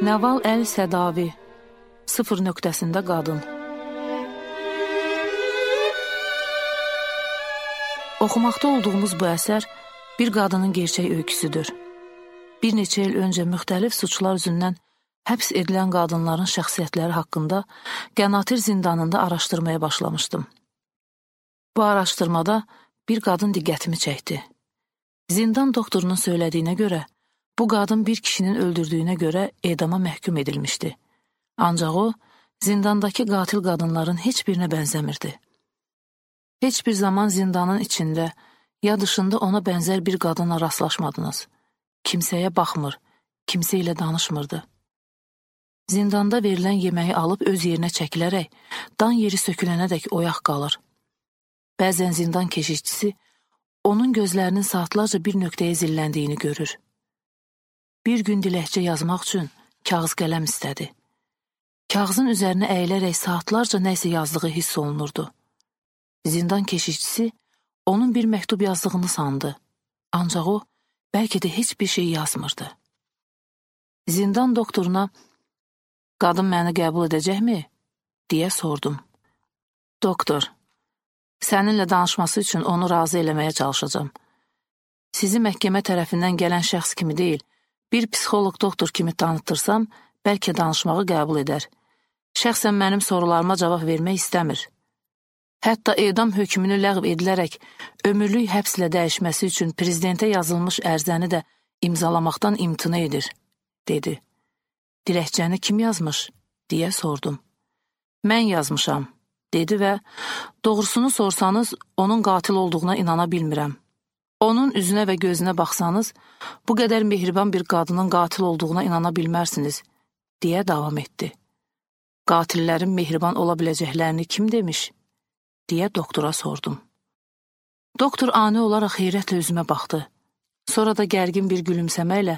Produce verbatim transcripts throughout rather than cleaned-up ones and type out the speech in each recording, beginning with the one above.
Nəval Əl-Sədavi, sıfır nöqtəsində qadın. Oxumaqda olduğumuz bu əsər bir qadının gerçək öyküsüdür. Bir neçə il öncə müxtəlif suçlar üzündən həbs edilən qadınların şəxsiyyətləri haqqında Qənatir zindanında araşdırmaya başlamışdım. Bu araşdırmada bir qadın diqqətimi çəkdi. Zindan doktorunun söylədiyinə görə, bu qadın bir kişinin öldürdüyünə görə edama məhkum edilmişdi. Ancaq o, zindandakı qatil qadınların heç birinə bənzəmirdi. Heç bir zaman zindanın içində, ya dışında ona bənzər bir qadınla rastlaşmadınız. Kimsəyə baxmır, kimsə ilə danışmırdı. Zindanda verilən yeməyi alıb öz yerinə çəkilərək, dan yeri sökülənədək oyaq qalır. Bəzən zindan keşişçisi onun gözlərinin saatlarca bir nöqtəyə zilləndiyini görür. Bir gün diləkçə yazmaq üçün kağız qələm istədi. Kağızın üzərinə əyilərək saatlarca nəsə yazdığı hiss olunurdu. Zindan keşişçisi onun bir məktub yazdığını sandı. Ancaq o, bəlkə də heç bir şey yazmırdı. Zindan doktoruna, "Qadın məni qəbul edəcəkmi?" deyə sordum. "Doktor, səninlə danışması üçün onu razı eləməyə çalışacağam. Sizi məhkəmə tərəfindən gələn şəxs kimi deyil, bir psixoloq doktor kimi tanıtırsam, bəlkə danışmağı qəbul edər. Şəxsən mənim sorularıma cavab vermək istəmir. Hətta edam hökmünü ləğv edilərək ömürlük həbslə dəyişməsi üçün prezidentə yazılmış ərzəni də imzalamaqdan imtina edir," dedi. "Diləkçəni kim yazmış?" deyə sordum. "Mən yazmışam," dedi və "Doğrusunu sorsanız, onun qatil olduğuna inana bilmirəm. Onun üzünə və gözünə baxsanız, bu qədər mehriban bir qadının qatil olduğuna inana bilmərsiniz," deyə davam etdi. "Qatillərin mehriban ola biləcəklərini kim demiş?" deyə doktora sordum. Doktor ani olaraq heyrətlə üzümə baxdı. Sonra da gərgin bir gülümsəməklə,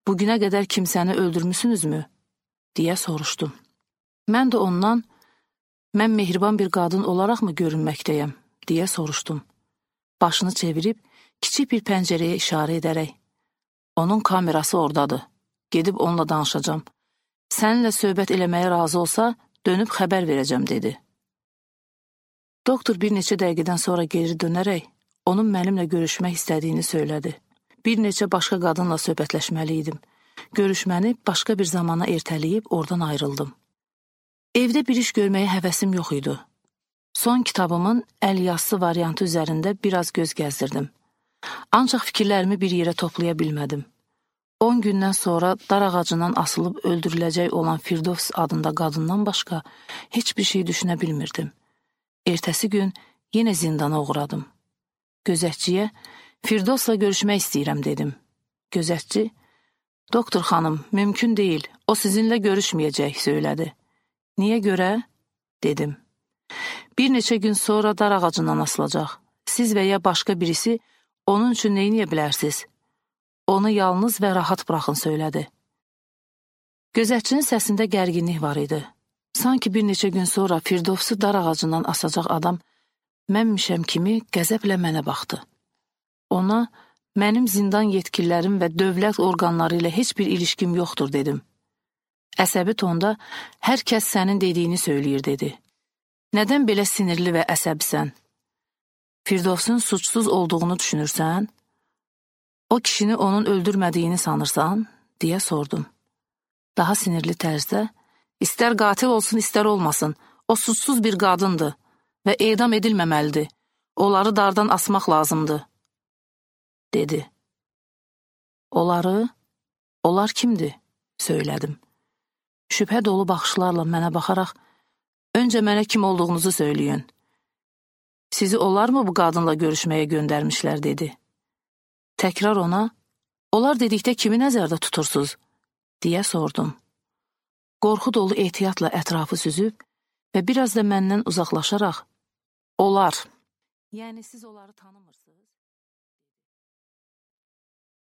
"Bugünə qədər kimsəni öldürmüsünüzmü?" deyə soruşdum. Mən də ondan, "Mən mehriban bir qadın olaraqmı görünməkdəyəm?" deyə soruşdum. Başını çevirib, kiçik bir pəncərəyə işarə edərək, "Onun kamerası oradadır, gedib onunla danışacağam. Səninlə söhbət eləməyə razı olsa, dönüb xəbər verəcəm," dedi. Doktor bir neçə dəqiqədən sonra geri dönərək, onun mənimlə görüşmək istədiyini söylədi. Bir neçə başqa qadınla söhbətləşməli idim. Görüşməni başqa bir zamana ertələyib oradan ayrıldım. Evdə bir iş görməyə həvəsim yox idi. Son kitabımın əl yazısı variantı üzərində biraz göz gəzdirdim. Ancaq fikirlərimi bir yerə toplaya bilmədim. On gündən sonra dar ağacından asılıb öldürüləcək olan Firdovs adında qadından başqa heç bir şey düşünə bilmirdim. Ertəsi gün yenə zindana uğradım. Gözətçiyə, "Firdovsla görüşmək istəyirəm," dedim. Gözətçi, "Doktor xanım, mümkün deyil, o sizinlə görüşməyəcək," söylədi. "Niyə görə?" dedim. "Bir neçə gün sonra dar ağacından asılacaq. Siz və ya başqa birisi onun üçün nə edə bilərsiniz? Onu yalnız və rahat buraxın," söylədi. Gözətçinin səsində gərginlik var idi. Sanki bir neçə gün sonra Firdovsu dar ağacından asacaq adam mənmişəm kimi qəzəblə mənə baxdı. Ona, "Mənim zindan yetkililərim və dövlət orqanları ilə heç bir ilişkim yoxdur," dedim. Əsəbi tonda, "Hər kəs sənin dediyini söyləyir," dedi. "Nədən belə sinirli və əsəbsən? Firdovsun suçsuz olduğunu düşünürsən? O kişini onun öldürmədiyini sanırsan?" deyə sordum. Daha sinirli tərzdə, "İstər qatil olsun, istər olmasın, o suçsuz bir qadındır və edam edilməməlidir. Onları dardan asmaq lazımdır," dedi. "Onları? Onlar kimdir?" söylədim. Şübhə dolu baxışlarla mənə baxaraq, "Öncə mənə kim olduğunuzu söyləyin. Sizi onlar mı bu qadınla görüşməyə göndərmişlər?" dedi. Təkrar ona, "Onlar dedikdə kimi nəzərdə tutursunuz?" deyə sordum. Qorxu dolu ehtiyatla ətrafı süzüb və biraz da məndən uzaqlaşaraq, "Onlar, yəni siz onları tanımırsınız?"